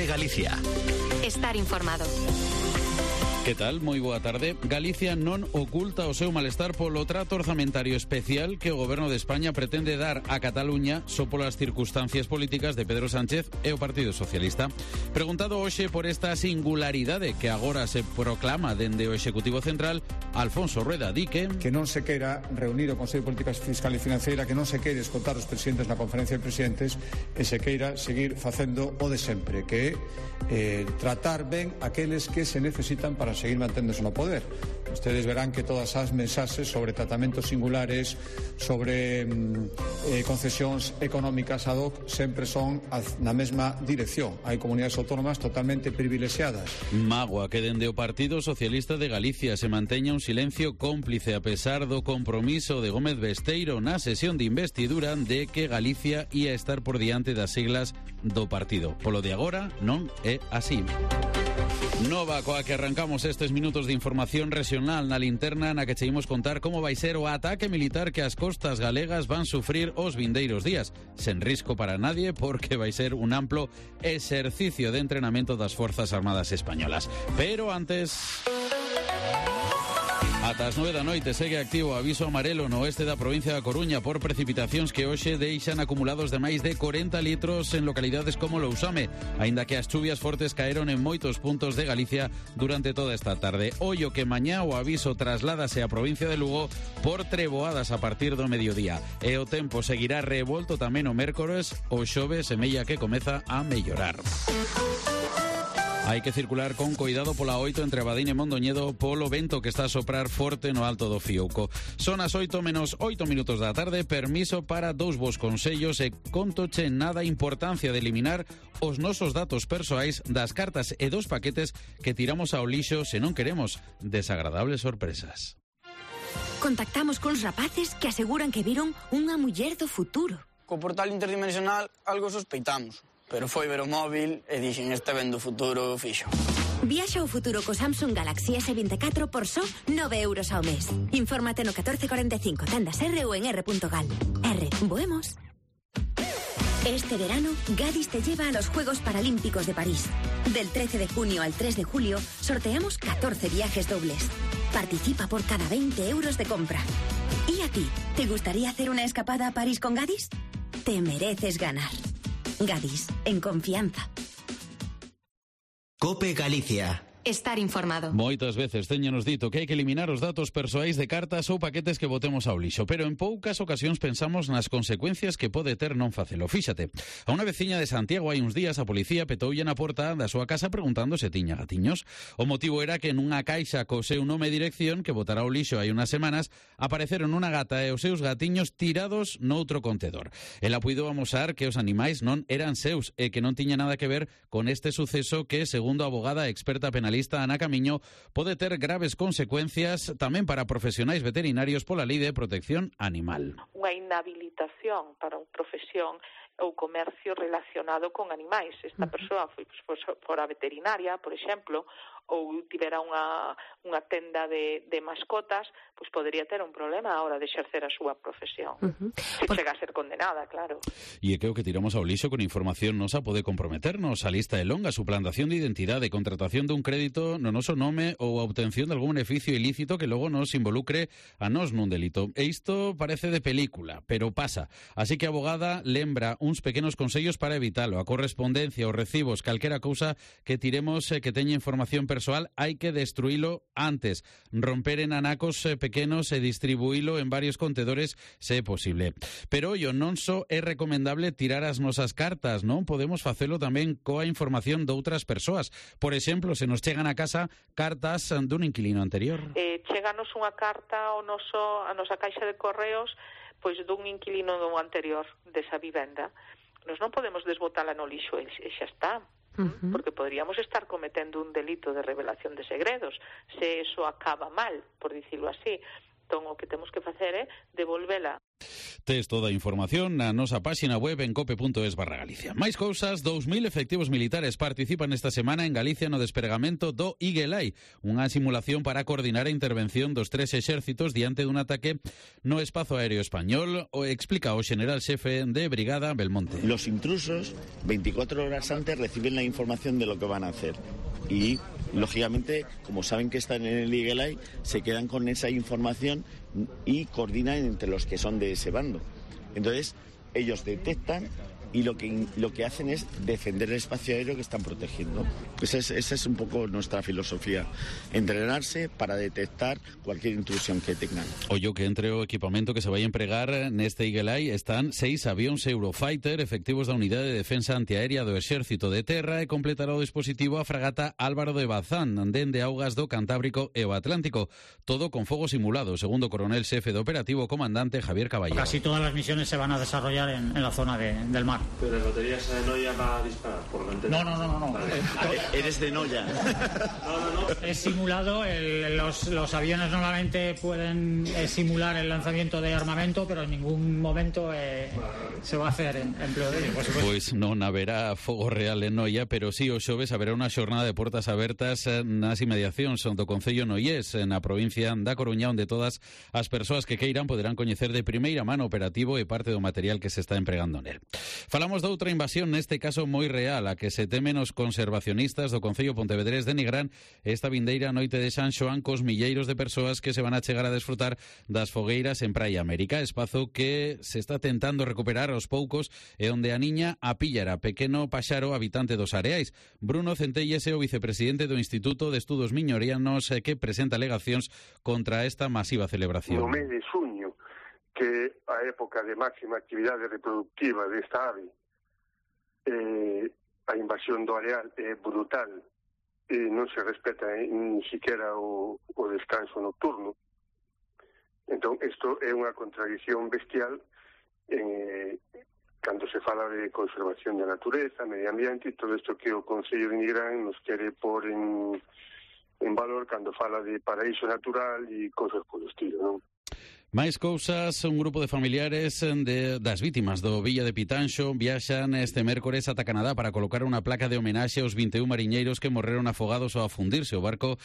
COPE Galicia. Estar informado. Que tal? Moi boa tarde. Galicia non oculta o seu malestar polo trato orzamentario especial que o Goberno de España pretende dar a Cataluña só polas circunstancias políticas de Pedro Sánchez e o Partido Socialista. Preguntado hoxe por esta singularidade que agora se proclama dende o Executivo Central, Alfonso Rueda di que non se queira reunir o Consello de Política Fiscal e Financeira, que non se queire escotar os presidentes na Conferencia de Presidentes e se queira seguir facendo o de sempre, que é tratar ben aqueles que se necesitan para seguir manténdose no poder. Ustedes verán que todas as mensaxes sobre tratamentos singulares, sobre concesións económicas ad hoc, sempre son na mesma dirección. Hai comunidades autónomas totalmente privilexiadas. Mágoa que dende o Partido Socialista de Galicia se manteña un silencio cómplice a pesar do compromiso de Gómez Besteiro na sesión de investidura de que Galicia ia estar por diante das siglas do partido. Polo de agora non é así. Nova coa que arrancamos estes minutos de información regional na linterna na que cheimos contar como vai ser o ataque militar que as costas galegas van sufrir os vindeiros días, sen risco para nadie porque vai ser un amplo exercicio de entrenamento das Forzas Armadas Españolas. Pero antes... Ata as 9 da noite segue activo o aviso amarelo no oeste da provincia da Coruña por precipitacións que hoxe deixan acumulados de máis de 40 litros en localidades como Lousame, aínda que as chuvias fortes caeron en moitos puntos de Galicia durante toda esta tarde. Ollo que mañá o aviso trasládase á provincia de Lugo por treboadas a partir do mediodía. E o tempo seguirá revolto tamén o mércores, o xove semella que comeza a mellorar. Hai que circular con cuidado pola 8 entre Abadín e Mondoñedo polo vento que está a soprar forte no alto do Fiouco. Son as 8 menos 8 minutos da tarde, permiso para dous vos consellos e contoche nada importancia de eliminar os nosos datos persoais das cartas e dos paquetes que tiramos ao lixo se non queremos desagradables sorpresas. Contactamos cuns rapaces que aseguran que viron unha muller do futuro. Co portal interdimensional algo sospeitamos. Pero foi ver o móvil e dixen este vendo futuro fixo. Viaxa ao futuro co Samsung Galaxy S24 por só 9 euros ao mes. Infórmate no 1445, tendas R ou en r.gal. R, voemos. Este verano, Gadis te lleva a los Juegos Paralímpicos de París. Del 13 de junio al 3 de julio, sorteamos 14 viajes dobles. Participa por cada 20 euros de compra. ¿Y a ti? ¿Te gustaría hacer una escapada a París con Gadis? Te mereces ganar. Gadis, en confianza. COPE Galicia. Estar informado. Moitas veces teñenos dito que hai que eliminar os datos persoais de cartas ou paquetes que botemos ao lixo, pero en poucas ocasións pensamos nas consecuencias que pode ter non facelo. Fíxate, a unha veciña de Santiago hai uns días a policía petoulle na porta da súa casa preguntando se tiña gatiños. O motivo era que nunha caixa co seu nome e dirección que botara ao lixo hai unhas semanas apareceron unha gata e os seus gatiños tirados noutro contedor. Ela puido amosar que os animais non eran seus e que non tiña nada que ver con este suceso que, segundo a abogada experta penalista Ana Camiño, pode ter graves consecuencias tamén para profesionais veterinarios pola Lei de Protección Animal. Unha inhabilitación para unha profesión ou comercio relacionado con animais. Esta persoa fora veterinaria, por exemplo, ou tivera unha tenda de mascotas, pois podería ter un problema a hora de exercer a súa profesión. Se chega a ser condenada, claro. E é que o que tiramos ao lixo con información nosa pode comprometernos. A lista é longa: suplantación de identidade, contratación dun crédito no noso nome ou a obtención de algún beneficio ilícito que logo nos involucre a nós nun delito. E isto parece de película, pero pasa. Así que a abogada lembra uns pequenos consellos para evitalo. A correspondencia, os recibos, calquera cousa que tiremos que teña información persoal, hai que destruílo antes, romper en anacos pequenos e distribuílo en varios contedores se é posible. Pero ollo, non só é recomendable tirar as nosas cartas, non? Podemos facelo tamén coa información de outras persoas. Por exemplo, se nos chegan a casa cartas dun inquilino anterior. Cheganos unha carta a nosa caixa de correos pois dun inquilino anterior desa vivenda. Nos non podemos desbotala no lixo e xa está. Porque poderíamos estar cometendo un delito de revelación de segredos se eso acaba mal, por dicirlo así. Entón, o que temos que facer é devolvela. Tes toda a información na nosa páxina web en cope.es/Galicia. Máis cousas, 2.000 efectivos militares participan esta semana en Galicia no despregamento do Iguelai, unha simulación para coordinar a intervención dos 3 exércitos diante dun ataque no espazo aéreo español, o explica o general xefe de Brigada Belmonte. Los intrusos 24 horas antes reciben la información de lo que van a hacer y lógicamente, como saben que están en el Iguelai, se quedan con esa información y coordinan entre los que son de ese bando. Entonces, ellos detectan y lo que hacen es defender el espacio aéreo que están protegiendo. Esa es un poco nuestra filosofía, entrenarse para detectar cualquier intrusión que tengan. Ollo que entre o equipamento que se vai empregar neste Iguelai están 6 avións Eurofighter efectivos da Unidade de Defensa Antiaérea do Exército de Terra e completará o dispositivo a fragata Álvaro de Bazán dende augas do Cantábrico e o Atlántico, todo con fogo simulado, segundo o coronel xefe de operativo comandante Javier Caballero. Casi todas las misiones se van a desarrollar en la zona del mar. Pero las baterías de Noya va a disparar, por lo que entiendo. No. Vale. ¿Eres de Noya? No. Es simulado, los aviones normalmente pueden simular el lanzamiento de armamento, pero en ningún momento se va a hacer empleo de ello, por supuesto. Pois non haberá fogo real en Noia, pero sí o xoves haberá unha xornada de portas abertas nas inmediacións do Concello Noiés, na provincia da Coruña, onde todas as persoas que queiran poderán coñecer de primeira mano operativo e parte do material que se está empregando nel. Falamos de outra invasión, neste caso moi real, a que se temen os conservacionistas do Concello Pontevedrés de Nigrán esta vindeira noite de San Xoán cos milleiros de persoas que se van a chegar a desfrutar das fogueiras en Praia América, espazo que se está tentando recuperar aos poucos e onde a niña a pillara pequeno paxaro habitante dos Areais. Bruno Centelles é o vicepresidente do Instituto de Estudos Miñorianos que presenta alegacións contra esta masiva celebración. No mes de xuño, que a época de máxima actividade reproductiva desta ave, a invasión do areal é brutal e non se respeta ni siquiera o descanso nocturno. Entón, isto é unha contradición bestial cando se fala de conservación da natureza, medio ambiente e todo isto que o Concello de Nigrán nos quere pôr en valor cando fala de paraíso natural e cosas polo estilo, non? Máis cousas, un grupo de familiares das vítimas do Villa de Pitanxo viaxan este mércores ata Canadá para colocar unha placa de homenaxe aos 21 mariñeiros que morreron afogados ao afundirse o barco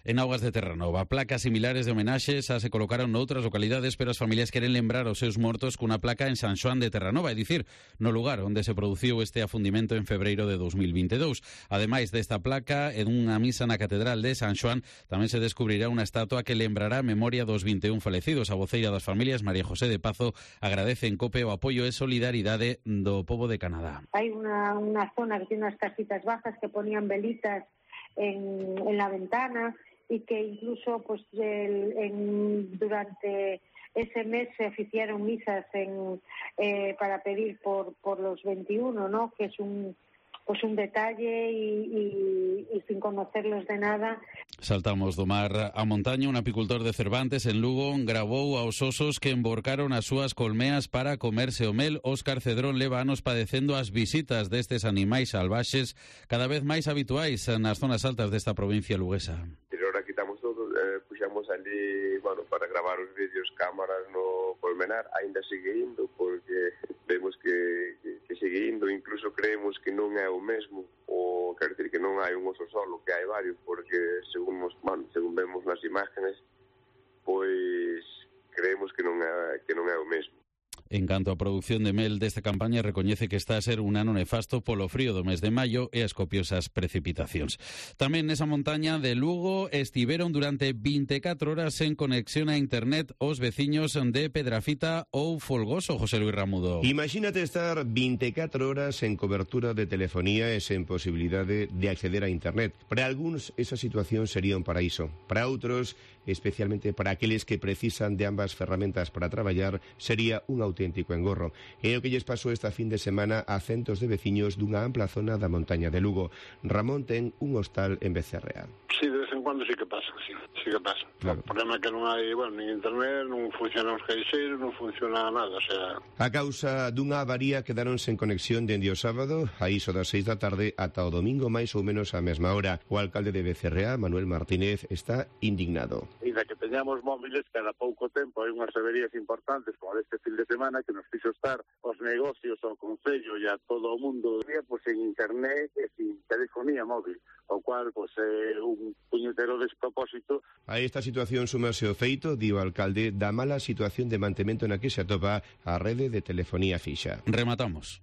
en augas de Terranova. Placas similares de homenaxe xa se colocaron noutras localidades, pero as familias queren lembrar aos seus mortos cunha placa en San Xoán de Terranova, é dicir, no lugar onde se produciu este afundimento en febreiro de 2022. Ademais desta placa, en unha misa na Catedral de San Xoán tamén se descubrirá unha estatua que lembrará a memoria dos 21 falecidos. A voceira das familias, María José de Pazo, agradece en COPE o apoio e solidaridade do pobo de Canadá. Hay una zona que tiene unas casitas bajas que ponían velitas en la ventana y que incluso pues durante ese mes se oficiaron misas para pedir por los 21, ¿no? Que es un detalle y sin conocerlos de nada. Saltamos do mar a montaña. Un apicultor de Cervantes, en Lugo, gravou aos osos que emborcaron as súas colmeas para comerse o mel. Óscar Cedrón leva anos padecendo as visitas destes animais salvaxes cada vez máis habituais nas zonas altas desta provincia luguesa. Ahora quitamos todo, puxamos ali, para gravar os vídeos, cámaras no colmenar, ainda sigue indo, porque vemos que sigue indo, incluso creemos que non é o mesmo, ou quer dizer que non hai un oso solo, que hai varios, porque según vemos nas imágenes, pois creemos que non é o mesmo. En canto á produción de mel desta campaña, recoñece que está a ser un ano nefasto polo frío do mes de maio e as copiosas precipitacións. Tamén nesa montaña de Lugo estiveron durante 24 horas en conexión a internet os veciños de Pedrafita ou Folgoso, José Luis Ramudo. Imagínate estar 24 horas en cobertura de telefonía e sen posibilidade de acceder a internet. Para algúns esa situación sería un paraíso. Para outros, especialmente para aqueles que precisan de ambas ferramentas para traballar, sería un auténtico engorro. É o que lles pasou esta fin de semana a centos de veciños dunha ampla zona da montaña de Lugo. Ramón ten un hostal en Becerrea. Sí, de vez en cuando sí que pasa, sí que pasa. Claro. O problema é que non hai, nin internet, non funcionan os caixeiros, non funciona nada, o sea... A causa dunha avaría quedaron sen conexión dende o sábado, a iso das 6 da tarde, ata o domingo máis ou menos á mesma hora. O alcalde de Becerrea, Manuel Martínez, está indignado. Ainda que teñamos móviles cada pouco tempo hai unhas averías importantes como deste fin de semana que nos fixo estar os negocios ao concello e a todo o mundo pues, en internet e sin telefonía móvil, o cual pues, é un puñetero despropósito. A esta situación súmase o feito, di o alcalde, da mala situación de mantemento na que se atopa a rede de telefonía fixa. Rematamos.